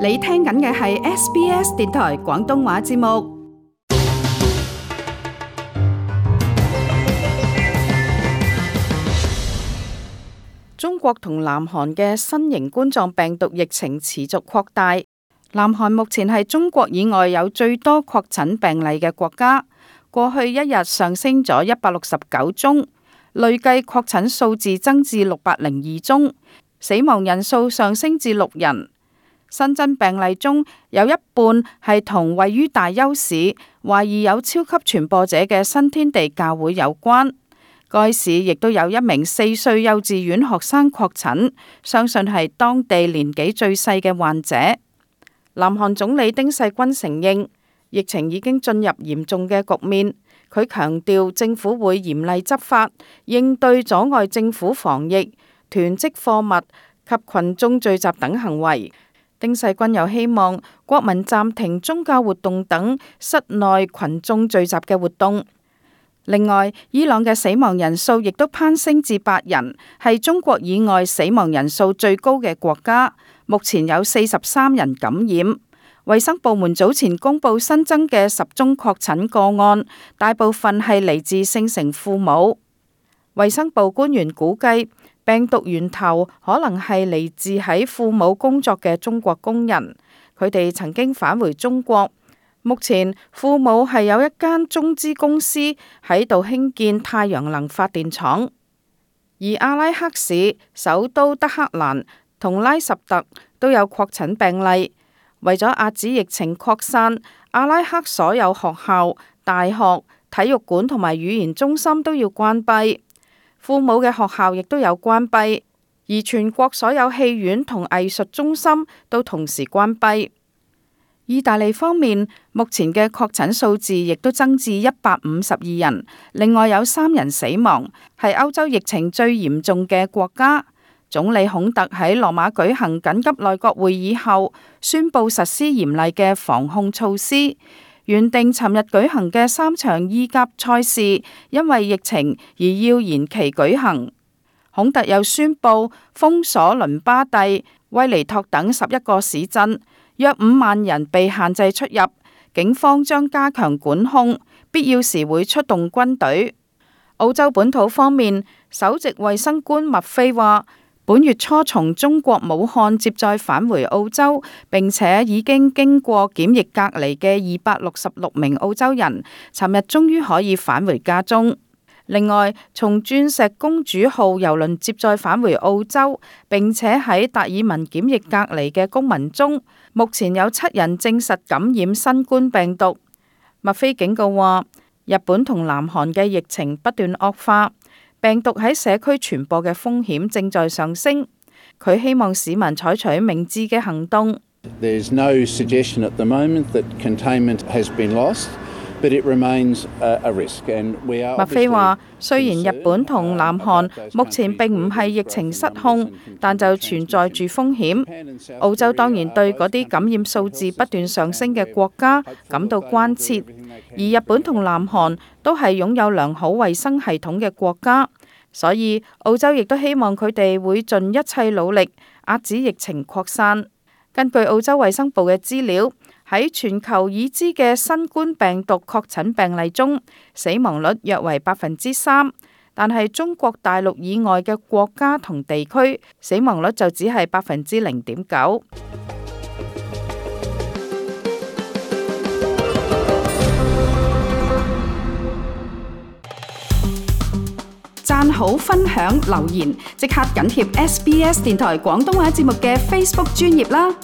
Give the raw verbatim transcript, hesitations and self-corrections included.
你聽緊嘅係 S B S 電台廣東話節目。中國同南韓嘅新型冠狀病毒疫情持續擴大。南韓目前係中國以外有最多確診病例嘅國家，過去一日上升咗一百六十九宗，累計確診數字增至六百零二宗，死亡人數上升至六人。新增病例中有一半係同位於大邱市懷疑有超級傳播者嘅新天地教會有關。該市亦都有一名四歲幼稚園學生確診，相信係當地年紀最細嘅患者。南韓總理丁世均承認疫情已經進入嚴重嘅局面，佢強調政府會嚴厲執法，應對阻礙政府防疫、囤積貨物及群眾聚集等行為。丁世均又希望國民暫停宗教活動等室內群眾聚集嘅活動。另外，伊朗嘅死亡人數亦都攀升至八人，係中國以外死亡人數最高嘅國家。目前有四十三人感染。衛生部門早前公布新增嘅十宗確診個案，大部分係嚟自聖城父母。衛生部官員估計，病毒源頭可能係嚟自喺父母工作嘅中國工人，佢哋曾經返回中國。目前父母係有一間中資公司喺度興建太陽能發電廠，而阿拉克市、首都德黑蘭同拉什特都有確診病例。為咗遏止疫情擴散，阿拉克所有學校、大學、體育館同埋語言中心都要關閉，父母嘅學校亦都有關閉，而全國所有戲院同藝術中心都同時關閉。意大利方面，目前嘅確診數字亦都增至一百五十二人，另外有三人死亡，係歐洲疫情最嚴重嘅國家。總理孔特喺羅馬舉行緊急內閣會議後，宣布實施嚴厲嘅防控措施。原定尋日舉行嘅三場意甲賽事，因為疫情而要延期舉行。孔特又宣布封鎖倫巴第、威尼托等十一個市鎮。約五萬人被限制出入，警方將加強管控，必要時會出動軍隊。澳洲本土方面，首席衛生官麥菲話，本月初從中國武漢接載返回澳洲，並且已經經過檢疫隔離嘅二百六十六名澳洲人，尋日終於可以返回家中。另外，從鑽石公主號郵輪接載返回澳洲，並且喺達爾文檢疫隔離嘅公民中，目前有七人證實感染新冠病毒。麥菲警告話，日本同南韓嘅疫情不斷惡化，病毒喺社區傳播嘅風險正在上升。佢希望市民採取明智嘅行動。There's no suggestion at the moment that containment has been lost. But it remains a risk, and we are 麥菲話，雖然日本同南韓目前並唔係疫情失控，但就存在住風險。澳洲當然對嗰啲感染數字不斷上升嘅國家感到關切，而日本同南韓都係擁有良好衛生系統嘅國家，所以澳洲亦都希望佢哋會盡一切努力遏止疫情擴散。根據澳洲衛生部嘅資料，喺全球已知嘅新冠病毒確診病例中，死亡率約為百分之三，但係中國大陸以外嘅國家同地區，死亡率就只係百分之零點九。讚好、分享、留言，即刻緊貼 S B S 電台廣東話節目嘅 Facebook 專頁啦！